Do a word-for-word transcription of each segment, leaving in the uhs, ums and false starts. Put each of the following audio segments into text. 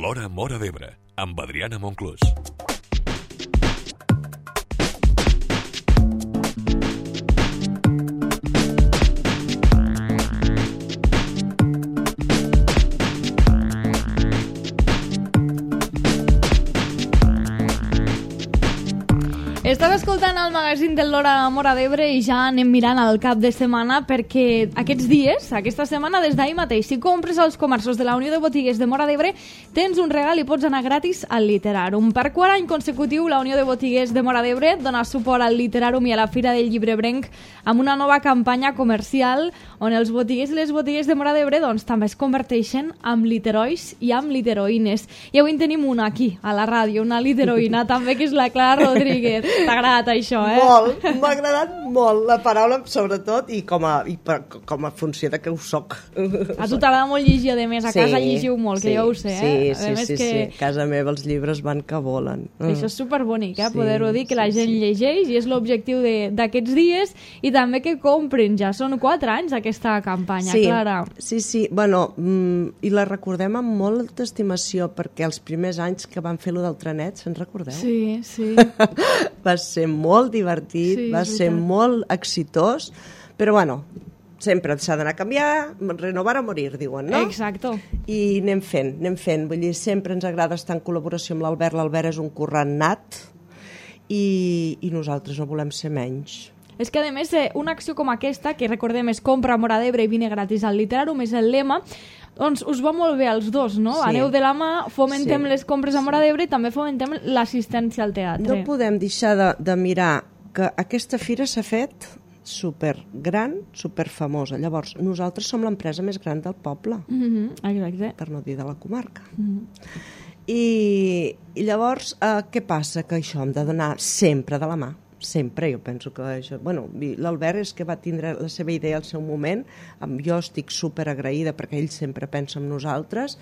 L'Hora Móra d'Ebre, amb Adriana Monclús. Estàs escoltant el magazín de l'Hora Móra d'Ebre i ja anem mirant el cap de setmana perquè aquests dies, aquesta setmana, des d'ahir mateix, si compres als comerços de la Unió de Botigues de Móra d'Ebre, tens un regal i pots anar gratis al Literàrum. Per quart any consecutiu, la Unió de Botigues de Móra d'Ebre dona suport al Literàrum i a la Fira del Llibrebrenc amb una nova campanya comercial on els botiguers i les botigues de Móra d'Ebre doncs, també es converteixen amb literois i amb literoïnes. I avui en tenim una aquí, a la ràdio, una literoïna també, que és la Clara Rodríguez. T'ha agradat això, eh? Molt, m'ha agradat molt la paraula, sobretot, i com a, i per, com a funció de que ho soc. A tu t'agrada molt llegir, a més, a sí, casa llegiu molt, sí, que jo ho sé, sí, eh? Sí, sí, que... sí, a casa meva els llibres van que volen. Això és superbonic, eh? Sí, Poder-ho dir, que la sí, gent sí. llegeix, i és l'objectiu d'aquests dies, i també que comprin. Ja són quatre anys aquesta campanya, sí, Clara. Sí, sí, bueno, mm, i la recordem amb molta estimació, perquè els primers anys que van fer-lo del trenet, se'n recordeu? Sí, sí. Va ser molt divertit, Sí, va és ser veritat. molt exitós, però bueno, sempre s'ha d'anar a canviar, renovar o morir, diuen, no? Exacto. I anem fent, anem fent. Vull dir, sempre ens agrada estar en col·laboració amb l'Albert. L'Albert és un currant nat i, i nosaltres no volem ser menys. És que, a més, eh, una acció com aquesta, que recordem és compra a Móra d'Ebre i vine gratis al Literàrum, és el lema, doncs us va molt bé als dos, no? Sí. Aneu de la mà, fomentem Sí. les compres a Móra d'Ebre i també fomentem l'assistència al teatre. No podem deixar de, de mirar que aquesta fira s'ha fet super gran, super famosa. Llavors, nosaltres som l'empresa més gran del poble, Mm-hmm, exacte. per no dir de la comarca. Mm-hmm. I, i llavors, eh, què passa? Que això hem de donar sempre de la mà. Sempre, jo penso que això... Bueno, l'Albert és que va tindre la seva idea al seu moment, amb, jo estic super agraïda perquè ell sempre pensa en nosaltres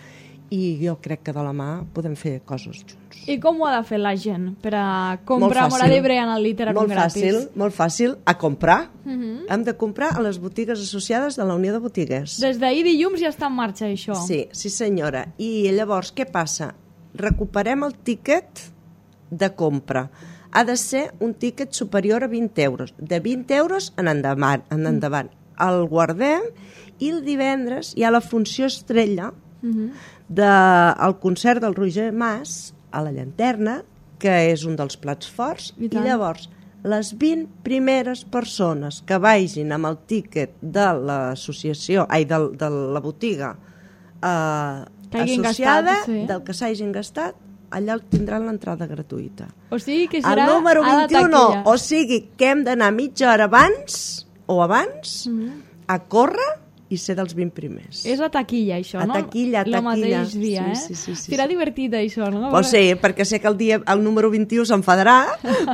i jo crec que de la mà podem fer coses junts. I com ho ha de fer la gent per a comprar a Móra d'Ebre en el Literàrum molt gratis? fàcil, molt fàcil, a comprar. Mm-hmm. Hem de comprar a les botigues associades de la Unió de Botigues. Des d'ahir dilluns ja està en marxa, això. Sí, sí senyora. I llavors, què passa? Recuperem el tíquet de compra. Ha de ser un tíquet superior a vint euros. De vint euros en endavant. En endavant. El guardem i el divendres hi ha la funció estrella Mm-hmm. del concert del Roger Mas a la Llanterna, que és un dels plats forts, I i, tant. llavors les vint primeres persones que vagin amb el tíquet de l'associació, ai, de, de la botiga eh, Que hagin associada, gastat, sí. del que s'hagin gastat, allà tindran l'entrada gratuïta. O sigui que El serà número a la vint-i-u, taquilla. o sigui que hem d'anar mitja hora abans o abans Mm-hmm. a córrer i ser dels vint primers. És a taquilla, això, A no? taquilla, a Lo taquilla. mateix dia, Sí, eh? sí, sí, sí, Serà sí. divertit, això, no? Pues sí, perquè sé que el dia el número vint-i-u s'enfadarà,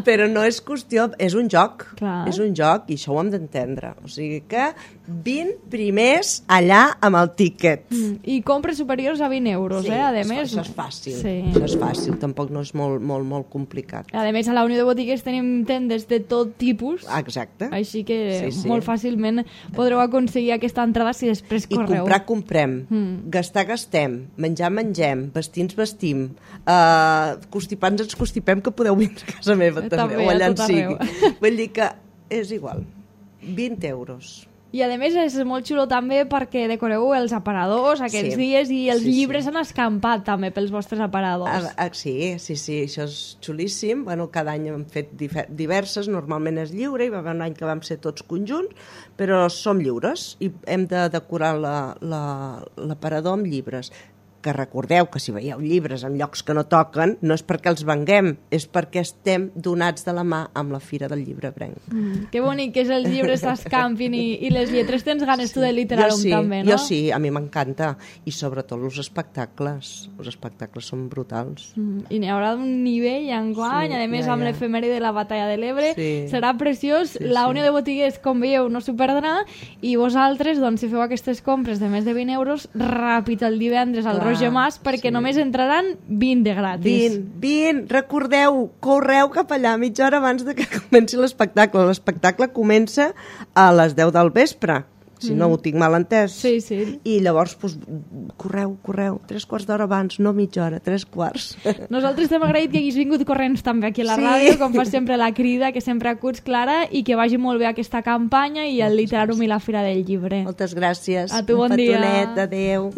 però no és qüestió... És un joc. Clar. És un joc i això ho hem d'entendre. O sigui que vint primers allà amb el tíquet. Mm. I compres superiors a vint euros, Sí, eh? A això, més, això és fàcil. Sí. Això és fàcil, tampoc no és molt, molt, molt complicat. A més, a la Unió de Botigues tenim tendes de tot tipus, Exacte. així que Sí, sí. molt fàcilment podreu aconseguir aquesta entrada si després I correu. comprar, comprem. Mm. Gastar, gastem. Menjar, mengem. Vestir, ens vestim. Uh, constipar, ens constipem, que podeu vindre a casa meva també, També, o allà a en tot sigui. arreu. Vull dir que és igual. vint euros. I a més és molt xulo també perquè decoreu els aparadors aquests Sí. dies i els Sí, sí. llibres han escampat també pels vostres aparadors. Ah, ah, sí, sí, sí, això és xulíssim. Bueno, cada any hem fet dife- diverses, normalment és lliure, hi va haver un any que vam ser tots conjunts, però som lliures i hem de decorar la- la- l'aparador amb llibres. Que recordeu que si veieu llibres en llocs que no toquen, no és perquè els venguem, és perquè estem donats de la mà amb la Fira del Llibrebrenc. Mm, que bonic que és els llibres s'escampin i, i les lletres. Tens ganes tu de Literàrum jo sí, també, no? Jo sí, a mi m'encanta. I sobretot els espectacles. Els espectacles són brutals. Mm, I n'hi haurà un nivell enguany, Sí, a més ja, amb ja. l'efemèride de la Batalla de l'Ebre, Sí. serà preciós. Sí, la sí. Unió de Botigues, com veieu, no s'ho perdrà, i vosaltres, doncs, si feu aquestes compres de més de vint euros, ràpid el divendres al Clar, Roger Mas, perquè sí. només entraran vint de gratis. vint, vint, recordeu, correu cap allà mitja hora abans de que comenci l'espectacle. L'espectacle comença a les deu del vespre. si no ho tinc mal entès. Sí, sí. I llavors, doncs, correu, correu, tres quarts d'hora abans, no mitja hora, tres quarts. Nosaltres t'hem agraït que haguis vingut corrents també aquí a la Sí. ràdio, com fas sempre la crida, que sempre acuts, Clara, i que vagi molt bé aquesta campanya i el Literàrum i la Fira del Llibre. Moltes gràcies. A tu, bon Un dia. petonet, adéu.